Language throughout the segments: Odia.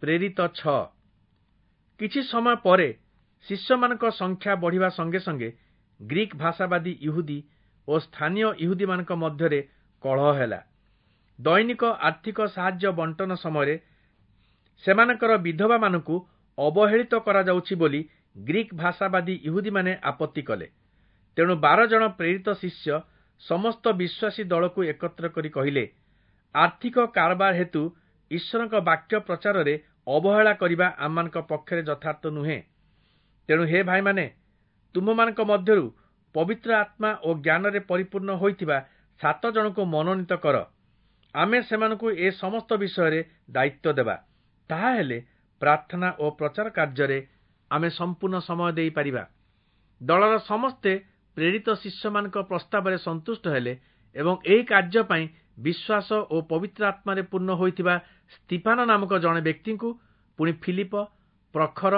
ପ୍ରେରିତ 6। କିଛି ସମୟ ପରେ ଶିଷ୍ୟମାନଙ୍କ ସଂଖ୍ୟା ବଢ଼ିବା ସଙ୍ଗେ ସଙ୍ଗେ ଗ୍ରୀକ୍ ଭାଷାବାଦୀ ଇହୁଦୀ ଓ ସ୍ଥାନୀୟ ଇହୁଦୀମାନଙ୍କ ମଧ୍ୟରେ କଳହ ହେଲା। ଦୈନିକ ଆର୍ଥିକ ସାହାଯ୍ୟ ବଣ୍ଟନ ସମୟରେ ସେମାନଙ୍କର ବିଧବାମାନଙ୍କୁ ଅବହେଳିତ କରାଯାଉଛି ବୋଲି ଗ୍ରୀକ୍ ଭାଷାବାଦୀ ଇହୁଦୀମାନେ ଆପତ୍ତି କଲେ। ତେଣୁ 12 ଜଣ ପ୍ରେରିତ ଶିଷ୍ୟ ସମସ୍ତ ବିଶ୍ୱାସୀ ଦଳକୁ ଏକତ୍ର କରି କହିଲେ, ଆର୍ଥିକ କାରବାର ହେତୁ ଈଶ୍ୱରଙ୍କ ବାକ୍ୟ ପ୍ରଚାରରେ ଅବହେଳା କରିବା ଆମମାନଙ୍କ ପକ୍ଷରେ ଯଥାର୍ଥ ନୁହେଁ। ତେଣୁ ହେ ଭାଇମାନେ, ତୁମ୍ଭମାନଙ୍କ ମଧ୍ୟରୁ ପବିତ୍ର ଆତ୍ମା ଓ ଜ୍ଞାନରେ ପରିପୂର୍ଣ୍ଣ ହୋଇଥିବା 7 ଜଣଙ୍କୁ ମନୋନୀତ କର। ଆମେ ସେମାନଙ୍କୁ ଏ ସମସ୍ତ ବିଷୟରେ ଦାୟିତ୍ୱ ଦେବା। ତାହାହେଲେ ପ୍ରାର୍ଥନା ଓ ପ୍ରଚାର କାର୍ଯ୍ୟରେ ଆମେ ସମ୍ପୂର୍ଣ୍ଣ ସମୟ ଦେଇପାରିବା। ଦଳର ସମସ୍ତେ ପ୍ରେରିତ ଶିଷ୍ୟମାନଙ୍କ ପ୍ରସ୍ତାବରେ ସନ୍ତୁଷ୍ଟ ହେଲେ ଏବଂ ଏହି କାର୍ଯ୍ୟ ପାଇଁ ବିଶ୍ୱାସ ଓ ପବିତ୍ର ଆତ୍ମାରେ ପୂର୍ଣ୍ଣ ହୋଇଥିବା ସ୍ତିଫାନ ନାମକ ଜଣେ ବ୍ୟକ୍ତିଙ୍କୁ, ପୁଣି ଫିଲିପ, ପ୍ରଖର,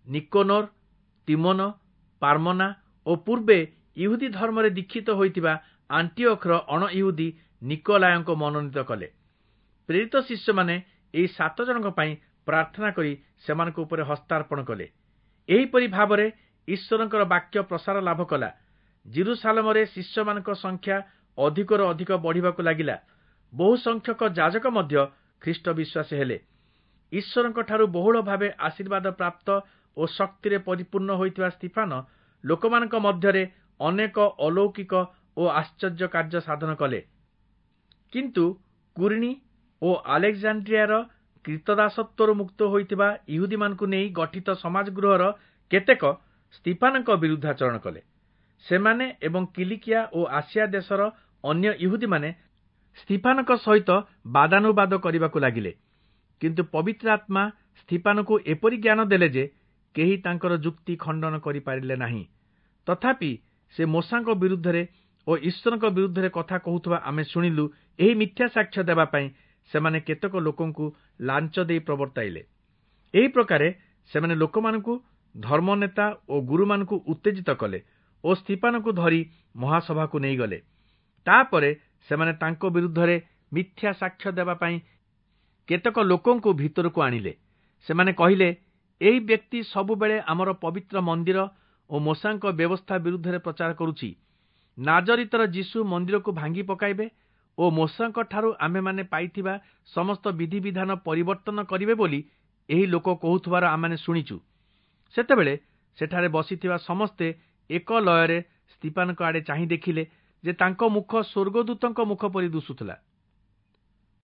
ନିକୋନୋର, ତିମୋନ, ପାର୍ମନା ଓ ପୂର୍ବେ ଇହୁଦୀ ଧର୍ମରେ ଦୀକ୍ଷିତ ହୋଇଥିବା ଆଣ୍ଟିଓଖର ଅଣଇହୁଦୀ ନିକୋଲାୟଙ୍କୁ ମନୋନୀତ କଲେ। ପ୍ରେରିତ ଶିଷ୍ୟମାନେ ଏହି 7 ଜଣଙ୍କ ପାଇଁ ପ୍ରାର୍ଥନା କରି ସେମାନଙ୍କ ଉପରେ ହସ୍ତାର୍ପଣ କଲେ। ଏହିପରି ଭାବରେ ଈଶ୍ୱରଙ୍କର ବାକ୍ୟ ପ୍ରସାର ଲାଭ କଲା। ଜିରୁସାଲମରେ ଶିଷ୍ୟମାନଙ୍କ ସଂଖ୍ୟା ଅଧିକରୁ ଅଧିକ ବଢ଼ିବାକୁ ଲାଗିଲା। ବହୁ ସଂଖ୍ୟକ ଯାଜକ ମଧ୍ୟ ଖ୍ରୀଷ୍ଟ ବିଶ୍ୱାସୀ ହେଲେ। ଈଶ୍ୱରଙ୍କଠାରୁ ବହୁଳ ଭାବେ ଆଶୀର୍ବାଦ ପ୍ରାପ୍ତ ଓ ଶକ୍ତିରେ ପରିପୂର୍ଣ୍ଣ ହୋଇଥିବା ସ୍ତିଫାନ ଲୋକମାନଙ୍କ ମଧ୍ୟରେ ଅନେକ ଅଲୌକିକ ଓ ଆଶ୍ଚର୍ଯ୍ୟ କାର୍ଯ୍ୟ ସାଧନ କଲେ। କିନ୍ତୁ କୁରିଣୀ ଓ ଆଲେକ୍ଜାଣ୍ଡ୍ରିଆର କ୍ରୀତଦାସତ୍ୱରୁ ମୁକ୍ତ ହୋଇଥିବା ଇହୁଦୀମାନଙ୍କୁ ନେଇ ଗଠିତ ସମାଜଗୃହର କେତେକ ସ୍ତିଫାନଙ୍କ ବିରୁଦ୍ଧାଚରଣ କଲେ। ସେମାନେ ଏବଂ କିଲିକିଆ ଓ ଆସିଆ ଦେଶର ଅନ୍ୟ ଇହୁଦୀମାନେ ସ୍ତିଫାନଙ୍କ ସହିତ ବାଦାନୁବାଦ କରିବାକୁ ଲାଗିଲେ। କିନ୍ତୁ ପବିତ୍ର ଆତ୍ମା ସ୍ତିଫାନଙ୍କୁ ଏପରି ଜ୍ଞାନ ଦେଲେ ଯେ କେହି ତାଙ୍କର ଯୁକ୍ତି ଖଣ୍ଡନ କରିପାରିଲେ ନାହିଁ। ତଥାପି ସେ ମୋଶାଙ୍କ ବିରୁଦ୍ଧରେ ଓ ଈଶ୍ୱରଙ୍କ ବିରୁଦ୍ଧରେ କଥା କହୁଥିବା ଆମେ ଶୁଣିଲୁ। ଏହି ମିଥ୍ୟା ସାକ୍ଷ୍ୟ ଦେବା ପାଇଁ ସେମାନେ କେତେକ ଲୋକଙ୍କୁ ଲାଞ୍ଚ ଦେଇ ପ୍ରବର୍ତ୍ତାଇଲେ। ଏହି ପ୍ରକାରେ ସେମାନେ ଲୋକମାନଙ୍କୁ, ଧର୍ମନେତା ଓ ଗୁରୁମାନଙ୍କୁ ଉତ୍ତେଜିତ କଲେ ଓ ସ୍ତିଫାନଙ୍କୁ ଧରି ମହାସଭାକୁ ନେଇଗଲେ। ତାପରେ ସେମାନେ ତାଙ୍କ ବିରୁଦ୍ଧରେ ମିଥ୍ୟା ସାକ୍ଷ୍ୟ ଦେବା ପାଇଁ କେତେକ ଲୋକଙ୍କୁ ଭିତରକୁ ଆଣିଲେ। ସେମାନେ କହିଲେ, ଏହି ବ୍ୟକ୍ତି ସବୁବେଳେ ଆମର ପବିତ୍ର ମନ୍ଦିର ଓ ମୋଶାଙ୍କ ବ୍ୟବସ୍ଥା ବିରୁଦ୍ଧରେ ପ୍ରଚାର କରୁଛି। ନାଜରିତର ଯୀଶୁ ମନ୍ଦିରକୁ ଭାଙ୍ଗି ପକାଇବେ ଓ ମୋଶାଙ୍କଠାରୁ ଆମ୍ଭେମାନେ ପାଇଥିବା ସମସ୍ତ ବିଧିବିଧାନ ପରିବର୍ତ୍ତନ କରିବେ ବୋଲି ଏହି ଲୋକ କହୁଥିବାର ଆମେମାନେ ଶୁଣିଛୁ। ସେତେବେଳେ ସେଠାରେ ବସିଥିବା ସମସ୍ତେ ଏକ ଲୟରେ ସ୍ତିଫାନଙ୍କ ଆଡ଼େ ଚାହିଁ ଦେଖିଲେ ଯେ ତାଙ୍କ ମୁଖ ସ୍ୱର୍ଗଦୂତଙ୍କ ମୁଖ ପରି ଦିଶୁଥିଲା।